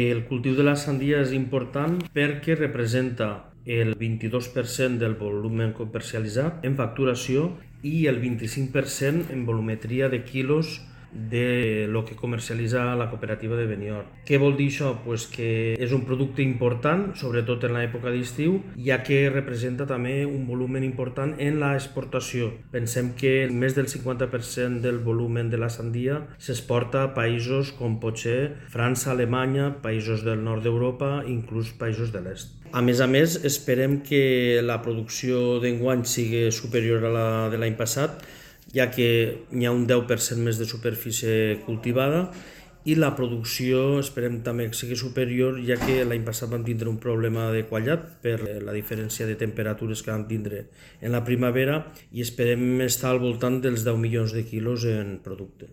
El cultiu de la sandia és important perquè representa el 22% del volum comercialitzat en facturació i el 25% en volumetria de quilos de lo que comercialitza la cooperativa de Benidorm. Què vol dir això? Pues que és un producte important, sobretot en l'època d'estiu, ja que representa també un volum important en l'exportació. Pensem que més del 50% del volum de la sandia s'exporta a països com pot ser França, Alemanya, països del nord d'Europa, inclús països de l'est. A més, esperem que la producció d'enguany sigui superior a la de l'any passat, ja que hi ha un 10% més de superfície cultivada i la producció esperem també que sigui superior, ja que l'any passat vam tindre un problema de quallat per la diferència de temperatures que vam tindre en la primavera i esperem estar al voltant dels 10 milions de quilos en producte.